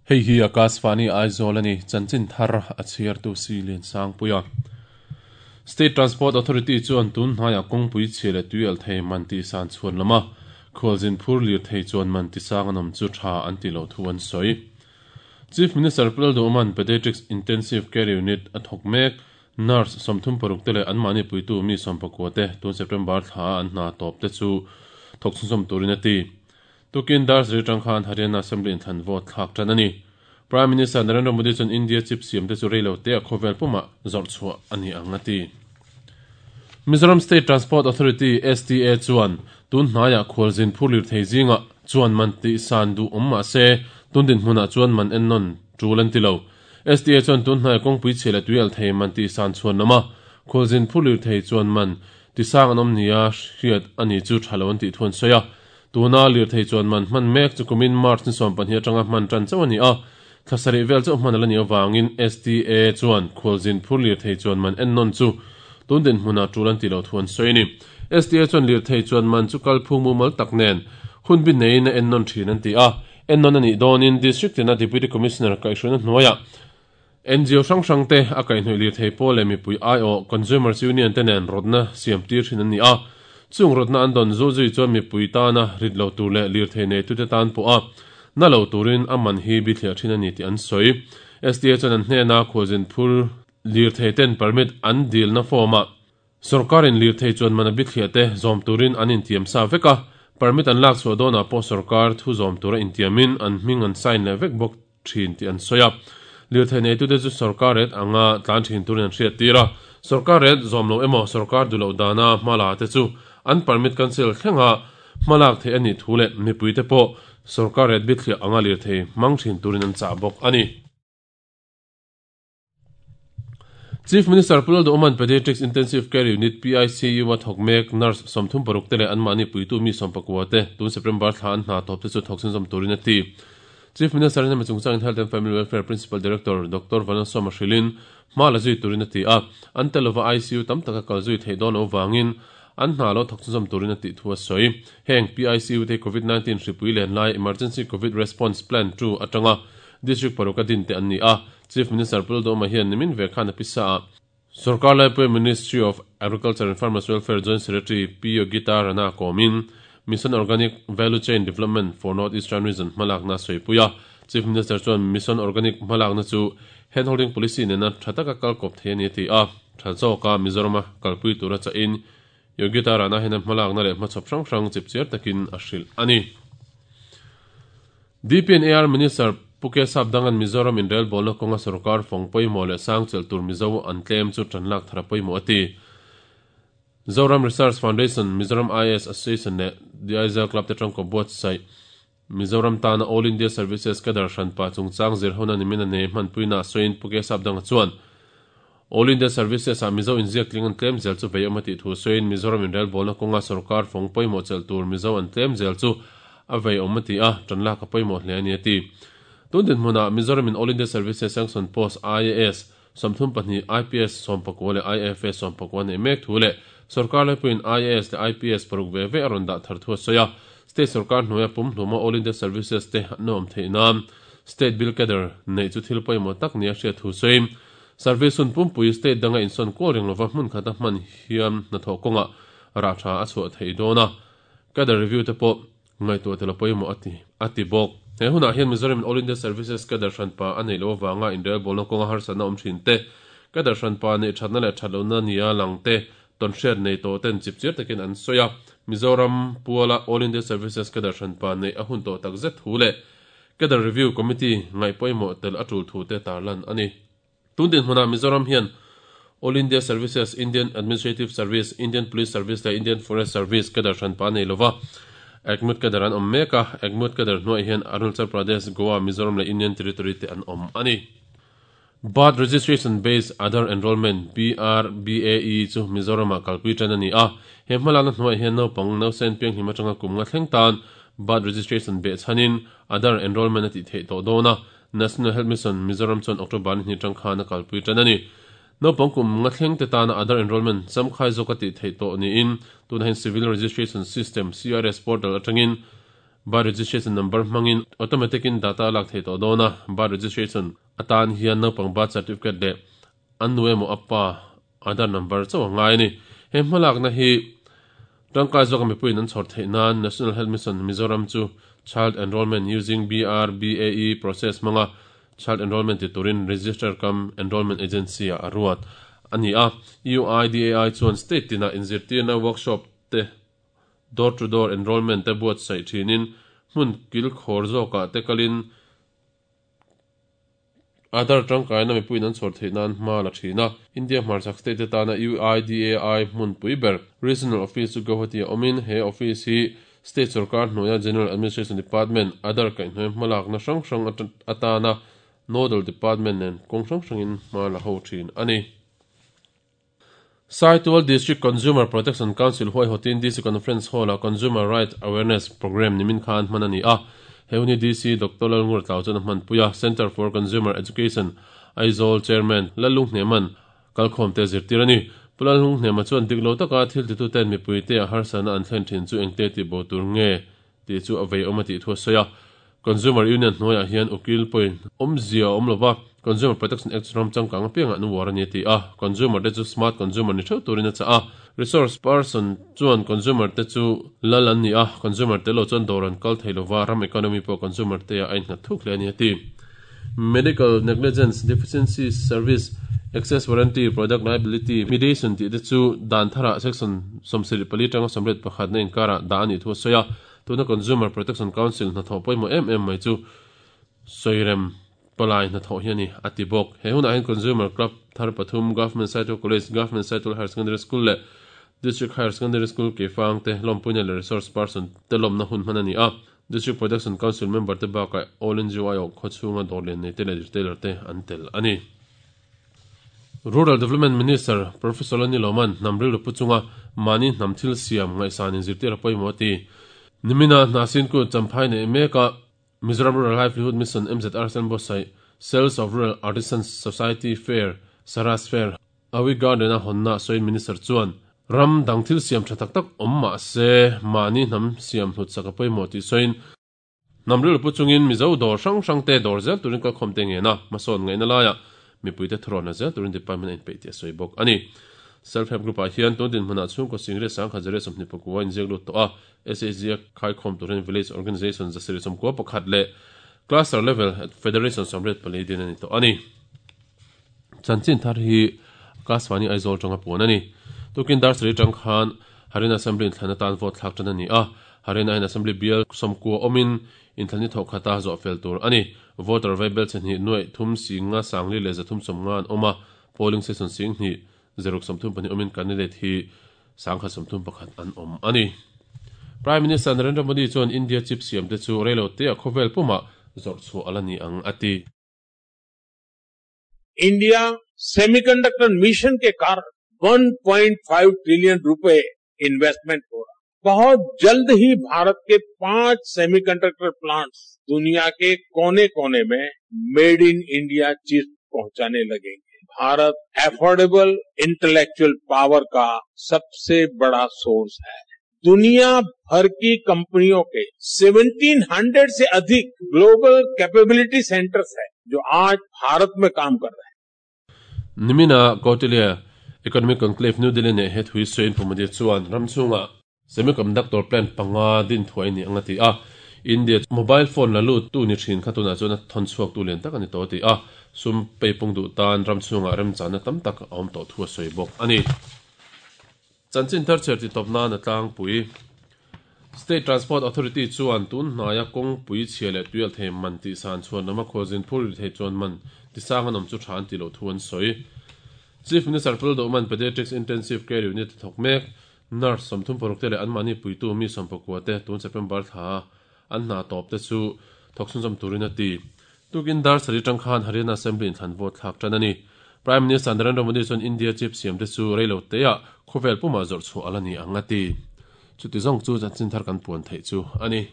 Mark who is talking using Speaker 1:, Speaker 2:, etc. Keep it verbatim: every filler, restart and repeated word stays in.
Speaker 1: Hei hi Akashvani Aizawl ani chanchin thar a chhiar tu si lian sang puia. State Transport Authority chuan tun hnaia kawngpui chhia leh tuial thei man tih san chhuan lama khualzin phur lir thei chuan man ti sang an awm chu tha an ti lo thu an sawi. Chief Minister Pu Lalduhoma'n Pediatrics Intensive Care Unit a thawk mek nurse sawmthum paruk te leh anmahni puitu mi sawmpakua te tun September thla an hna tawp te chu thawk chhunzawm turin a ti. Tukin dar zir tang khan Haryana Assembly inthlan vote thlak tan ani. Prime Minister Narendra Modi chuan India chip siam te chu reilo te a khawvel puma zawrh chhuah ani ang a ti. Mizoram State Transport Authority S T A chuan tun hnaia khualzin phur lir thei zinga chuan man ti san du awm mah se tun din hmunah chuan man en nawn tul an ti lo. S T A chuan tun hnaia kawngpui chhia leh tuial thei man ti san chhuan lama khualzin phur lir thei chuan man ti sang an awm nia hriat ani chu thalo an tih thuan sawi a. Tuna lir thei chuan man hman mek chu kumin March ni sawm pahnih atanga hman tan chauh ani a. Thlasarih vel chauh hman ala ni awangin S T A chuan khualzin phur lir thei chuan man en nawn chu tun din hmunah tul an ti lo thuan sawi ni. S T A chuan lir thei chuan man chu kal phung mumal tak nen hun bin neiin a en nawn thin an ti a. En nawn ani dawnin district tina Deputy Commissioner kaihhruina hnuaia N G O hrang hrang te a kaihhnawih lir thei pawl leh mipui I O Consumers Union te nen rawtna siam tir thin an ni a. Chung rawtna an dawn zu zui chuan mipui tana rit lo tur leh lir thei nei tute tan pawh a na lo turin a man hi bi thliah thin ani tih an sawi. S T A chuan an hnena khualzin phur lir thei ten permit an dil na form a sarkarin lir thei chuan man a bi thliah te zawm turin an intiam sa vek a. Permit an lak chhuah dawnah pawh sarkar thu zawm tura intiamin an hming an sign leh vek bawk thin tih an sawi a. Lir thei nei tute chu sarkar ret anga tlan thin turin an hriat tir a. Sarkar ret zawm lo emaw sarkar duh loh dana hmala te chu an permit cancel thlenga hmalak thei ani thu leh mipui te pawh sarkar ret bi thliah anga lir thei hmang thin turin an chah bawk ani. Chief Minister Pu Lalduhoma'n Pediatrics Intensive Care Unit P I C U a thawk mek nurse sawmthum paruk te leh anmahni puitu mi sawmpakua te tun September thla an hna tawp te chu thawk chhunzawm turin a ti. Chief Minister in hemi chungchangin Health and Family Welfare Principal Director Doctor Vanlalsawma hrilhin hma la zui turin a ti a. An tel lova I C U tam taka kal zui theih dawn lo vangin an hna lo thawk chhunzawm turin a tih thu a sawi. Heng P I C U te COVID nineteen hripui len lai Emergency COVID Response Plan two atanga district paruk a din te an ni a. Chief Minister Pu Lalduhoma hian nimin ve khan a pisa a. Sarkar Laipui Ministry of Agriculture and Farmers Welfare Joint Secretary P Yogita Rana komin Mission Organic Value Chain Development for North Eastern Region hmalakna sawipuia. Chief Minister chuan Mission Organic hmalakna chu handholding policy nena thataka kal kawp thei ani ti a. Tha zawka Mizorama kalpui tura cha in Yogita Rana hian hmalakna leh hmachhawp hrang hrang chipchiar takin a hrilh ani. D P and A R Minister Puke Sapdangan Mizoram in rail bolna kawnga sarkar fawng pawimawh leh sang chelh tur Mizo an tlem chu tan lak thara pawimawh a ti. Zoram Research Foundation, Mizoram I A S Association leh The Aizawl Club te tangkaw buatsaih Mizoram tana All India Services Cadre hranpa chungchang zir hona nimin a nei hmanpuina sawiin Puke Sapdanga chuan All India Services a Mizo inziak tling an tlem zel chu vei awm a tih thu sawiin Mizoram in rail bolna kawnga sarkar fawng pawimawh chelh tur Mizo an tlem zel chu a vei awm a ti a, tan lak a pawimawh hle ani a ti. Tun din hmunah Mizoram in All India Services Sanction Post I A S sawmthum pahnih I P S sawmpakua leh I F S sawmpakua nei mek thu leh sarkar laipuiin I A S leh I P S paruk ve ve a rawn dah thar thu a sawi a. State sarkar hnuaia pum hluma All India Services te an awm theih nan State Bill Cadre nei chu thil pawimawh tak nia hriat thu sawiin service hun pumpui state danga insawn kual ring lova hmun khata hman hian hnathawh kawnga rah tha a chhuah theih dawn a. Cadre review te pawh ngaihtuah tel a pawimawh a ti a ti bawk. He hunah hian Mizoram in All India Services Cadre hranpa a nei lo awanga inrel bolna kawnga harsatna awm thin te Cadre hranpa nei thatna leh that lohna nia lang te ton hriat nei tawh ten chipchiar takin an sawi a. Mizoram Puala All India Services Cadre hranpa nei a hun tawh tak zet thu leh Cadre Review Committee ngaih pawimawh tel a tul thu te tarlan ani. Tun din hmunah Mizoram hian All India Services, Indian Administrative Service, Indian Police Service leh Indian Forest Service Cadre hranpa nei lova Agmut Cadre an awm mek a. Agmut Cadre hnuai hian Arunachal Pradesh, Goa, Mizoram leh Indian Territory te an awm ani. Birth Registration Based Aadhaar Enrollment B R B A E chu Mizorama kalpui tan ani a. He hmalakna hnuai hian naupang nausen piang hlim atanga kum nga thleng tan birth registration be chanin Aadhaar enrollment a ti theih tawh dawn a. National Health Mission Mizoram chuan October ni hnih tang khan a kalpui tan ani. Naupang kum nga thleng te tana Aadhaar enrollment chamkhai zawk a ti theih tawh niin tuna hian Civil Registration System C R S portal atangin Birth registration number hmangin automatic in data lak thei tawh dawn a, birth registration atan hian naupang birth certificate leh an nu emaw apa Aadhaar number chauh a ngai a ni. He hmalakna hi tangkai zawka mipuiin an chhawr theih nan National Health Mission Mizoram chu Child Enrollment using B R B A E process hmanga Child Enrollment ti turin Register cum Enrollment Agency ah a ruat a ni a. U I D A I chuan state tinah inzirtirna workshop te door to door enrollment te buatsaih thinin hmun kil khawr zawkah te kalin Aadhaar tangkaina mipuiin an chhawr theih nan hma la thin a. India hmarchhak state te tana U I D A I hmunpui ber Regional Office chu Guwahati a awmin he office hi State sarkar hnuaia General Administration Department Aadhaar kaihhnuai hmalakna hrang hrang atana Nodal Department nen kawng hrang hrangin hma la ho thin a ni. Saitual District Consumer Protection Council huaihawtin D C Conference Hall-ah Consumer Right Awareness Programme nimin khan hman a ni a. He hun hi D C Doctor Lalngur Tlau chuan a hmanpui a. Centre for Consumer Education Aizawl Chairman Lalung Hneman kalkhawm te zirtir a ni. Pu Lalung Hnema chuan dik lo taka thil tituten mipuite a harsana an thlen thin chu engte tih bo tur nge tih chu a vei awm a tih thu a sawi a. Consumer Union hnuaiah hian ukil pawhin awmzia a awm lo va, Consumer Protection Act ram changkang apiangah an uar a ni a ti a. Consumer te chu smart consumer ni theuh turin a chah a. Resource person chuan consumer te chu lal an ni a, consumer te lo chuan dawr an kal thei lo va, ram economy pawh consumer te ah a innghat thuk hle a ni a ti. Medical negligence, deficiency service, excess warranty, product liability, mediation tih te chu dan tharah section sawmsarih pali tanga sawmriat pakhatna inkarah dah a nih thu a sawi a. Tuna Consumer Protection Council hnathawh pawimawh em em mai chu sawirem palai hnathawh hi a ni a ti bawk. He hunah hian Consumer Club thar pathum, Government Saitual College, Government Saitual Higher Secondary School leh District Higher Secondary School Keifang te lawmpuina leh resource person te lawmna hun hman a ni a. District Protection Council member te bakah All N G O aiawh khawchhunga dawr lian nei te leh retailer te an tel a ni. Rural Development Minister Professor Lani Loman hnam rilru pu chunga mahni hnam thil siam ngaihsan inzirtir a pawimawh a ti. Nimina hna sin ku champhai nei meka Mizoram Rural Livelihood Mission M Z R Senbosai Sales of Rural Artisans Society Fair Saras Fair Awi Garden a honna sawiin Minister chuan ram dang thil siam tha tak tak awm mah se mahni hnam siam hlut sak a pawimawh tih sawiin hnam rilru pu chungin Mizo dawr hrang hrang te dawr zel turin kalkhawm te ngena hmasawn ngaihna laiah mipuite thurawn zel turin department a inpeih tih a sawi bawk a ni. Self-help group ah hian tun dinhmunah chhungkaw singriat sangkhat zariat sawmhnih pakua inziak lut tawh a, S H G a khaikhawm turin village organisation zasarih sawmkua pakhat leh cluster level federation sawmriat pali din a ni tawh a ni. Chanchin thar hi Akashvani Aizawl tanga puan a ni. Tukin dar sarih tang khan Haryana Assembly inthlan atan vote thlak tan a ni a. Haryana in Assembly bial sawmkua awmin inthlan ni thawh khata zawh fel tur a ni. Voter vaibel chehnih nuaih thum singa sangli leh zathum sawmnga an awm a, polling station singhnih zeruk sawmthum pahnih awmin candidate hi sangkhat sawmthum pakhat an awm a ni. Prime Minister Narendra Modi chuan India chip siam te chu reilo te a khawvel puma zawrh chhuah ala ni ang a ti.
Speaker 2: India semiconductor mission के कारण one point five trillion रुपए investment हो रहा। बहुत जल्द ही भारत के पांच semiconductor plants दुनिया के कोने-कोने में made in India chip पहुंचाने लगेंगे। भारत affordable intellectual power का सबसे बड़ा सोर्स है। दुनिया भर की कंपनियों के सेवनटीन हंड्रेड से अधिक global capability centres हैं जो आज भारत में काम कर रहे हैं।
Speaker 1: Nimina Kautilya Economic Conclave New Delhi ne het hui soin pumadi chuan ramchunga semiconductor plant panga din thuai ni anga ti a. India mobile phone lalu tu ni thin khatuna chuan thon chuak tu len tak ani to ti a. Sum peipung du tan ramchunga remchana tam tak awm to thua soi bawk ani. Chanchin thar cher ti topna na tlang pui. State Transport Authority chuan tun hnaya kawng pui chhia leh tuial thei man tih san chuan lama khawzin phur ri thei chuan man tisang an awm chu tha an ti lo thu an sawi. Chief Minister Pul Doman Pediatrics Intensive Care Unit thawk mek nurse sawmthum paruk te leh anmahni puitu mi sawmpakua te tun September thla an hna tawp te chu thawk chhunzawm turin a ti. Tukin dar sari tang khan Haryana Assembly inthlan vote thlak tan a ni. Prime Minister Narendra Modi chuan India chip siam te chu reilo te ah khawvel puma zawrh chhuah ala ni ang a ti. Chuti zawng chu chanchin thar kan puan theih chu a ni.